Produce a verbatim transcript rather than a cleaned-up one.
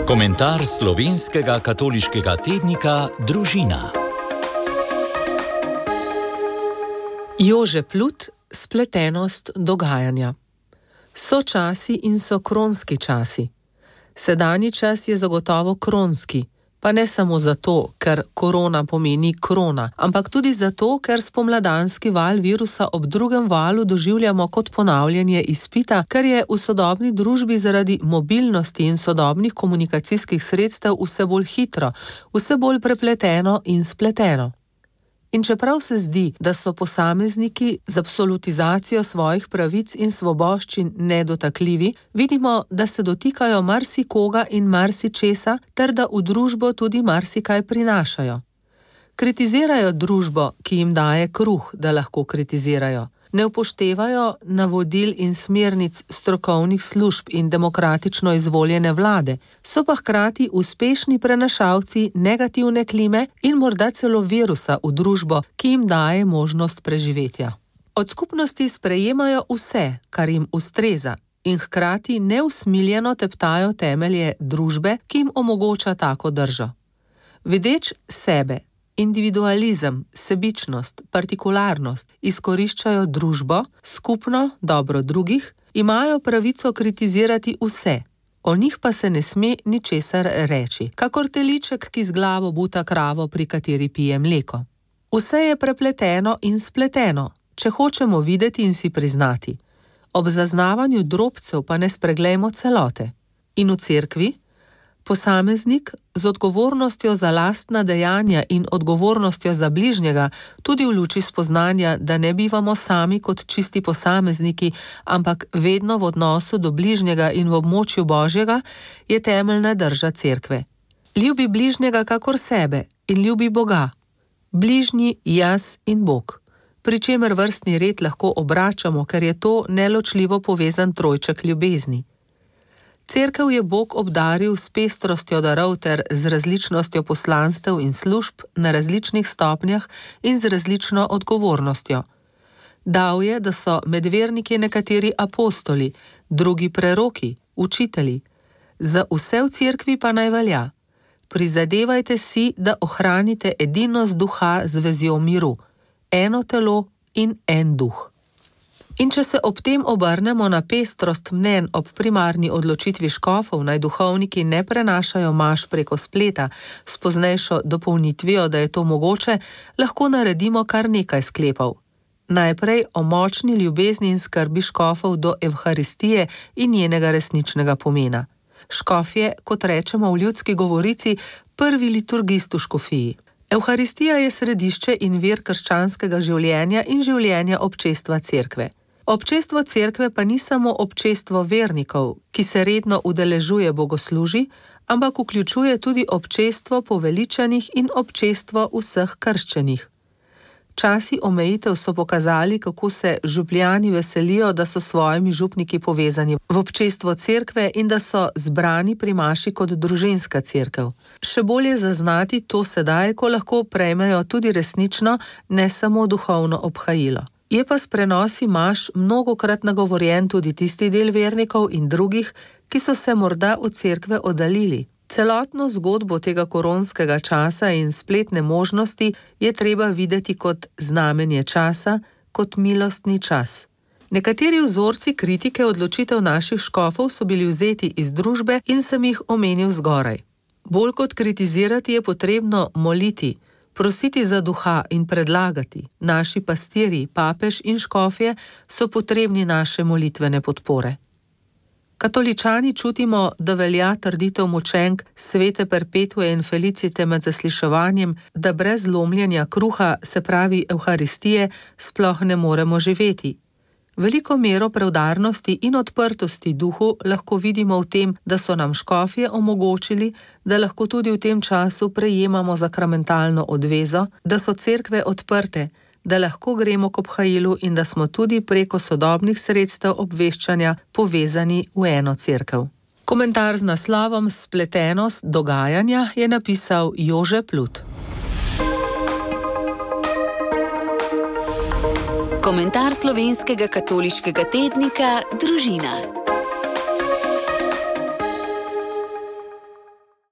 Komentar slovenskega katoliškega tednika Družina. Jože Plut, spletenost dogajanja. So časi in so kronski časi. Sedanji čas je zagotovo kronski, pa ne samo zato, ker korona pomeni krona, ampak tudi zato, ker spomladanski val virusa ob drugem valu doživljamo kot ponavljanje izpita, ker je v sodobni družbi zaradi mobilnosti in sodobnih komunikacijskih sredstev vse bolj hitro, vse bolj prepleteno in spleteno. In čeprav se zdi, da so posamezniki z absolutizacijo svojih pravic in svoboščin nedotakljivi, vidimo, da se dotikajo marsikoga in marsičesa, ter da v družbo tudi marsikaj prinašajo. Kritizirajo družbo, ki jim daje kruh, da lahko kritizirajo. Ne upoštevajo navodil in smernic strokovnih služb in demokratično izvoljene vlade, so pa hkrati uspešni prenašalci negativne klime in morda celo virusa v družbo, ki jim daje možnost preživetja. Od skupnosti sprejemajo vse, kar jim ustreza, in hkrati neusmiljeno teptajo temelje družbe, ki jim omogoča tako držo. Vedeč sebe, individualizem, sebičnost, partikularnost, izkoriščajo družbo, skupno dobro drugih, imajo pravico kritizirati vse, o njih pa se ne sme ničesar reči, kakor teliček, ki z glavo buta kravo, pri kateri pije mleko. Vse je prepleteno in spleteno, če hočemo videti in si priznati. Ob zaznavanju drobcev pa ne spreglejmo celote. In v cerkvi posameznik z odgovornostjo za lastna dejanja in odgovornostjo za bližnjega, tudi v luči spoznanja, da ne bivamo sami kot čisti posamezniki, ampak vedno v odnosu do bližnjega in v območju Božjega, je temeljna drža cerkve. Ljubi bližnjega kakor sebe in ljubi Boga. Bližnji, jaz in Bog. Pri čemer vrstni red lahko obračamo, ker je to neločljivo povezan trojček ljubezni. Cerkev je Bog obdaril s pestrostjo darov ter z različnostjo poslanstev in služb na različnih stopnjah in z različno odgovornostjo. Dal je, da so med verniki nekateri apostoli, drugi preroki, učitelji. Za vse v cerkvi pa naj velja: prizadevajte si, da ohranite edinost duha z vezjo miru, eno telo in en duh. In če se ob tem obrnemo na pestrost mnenj ob primarni odločitvi škofov, naj duhovniki ne prenašajo maš preko spleta, s poznejšo dopolnitvijo, da je to mogoče, lahko naredimo kar nekaj sklepov. Najprej o močni ljubezni in skrbi škofov do evharistije in njenega resničnega pomena. Škof je, kot rečemo v ljudski govorici, prvi liturgist v škofiji. Evharistija je središče in vir krščanskega življenja in življenja občestva cerkve. Občestvo cerkve pa ni samo občestvo vernikov, ki se redno udeležuje bogoslužij, ampak vključuje tudi občestvo poveličanih in občestvo vseh krščenih. Časi omejitev so pokazali, kako se župljani veselijo, da so s svojimi župniki povezani v občestvo cerkve in da so zbrani pri maši kot družinska cerkev. Še bolje zaznati to sedaj, ko lahko prejmejo tudi resnično, ne samo duhovno obhajilo. Je pa s prenosi maš mnogokrat nagovorjen tudi tisti del vernikov in drugih, ki so se morda od cerkve oddaljili. Celotno zgodbo tega koronskega časa in spletne možnosti je treba videti kot znamenje časa, kot milostni čas. Nekateri vzorci kritike odločitev naših škofov so bili vzeti iz družbe in sem jih omenil zgoraj. Bolj kot kritizirati je potrebno moliti, prositi za duha in predlagati. Naši pastirji, papež in škofje so potrebni naše molitvene podpore. Katoličani čutimo, da velja trditev močenk svete Perpetue in Felicite med zasliševanjem, da brez lomljenja kruha, se pravi evharistije, sploh ne moremo živeti. Veliko mero preudarnosti in odprtosti duhu lahko vidimo v tem, da so nam škofje omogočili, da lahko tudi v tem času prejemamo sakramentalno odvezo, da so cerkve odprte, da lahko gremo k obhajilu in da smo tudi preko sodobnih sredstev obveščanja povezani v eno cerkev. Komentar z naslovom Spletenost dogajanja je napisal Jože Plut. Komentar slovenskega katoliškega tednika Družina.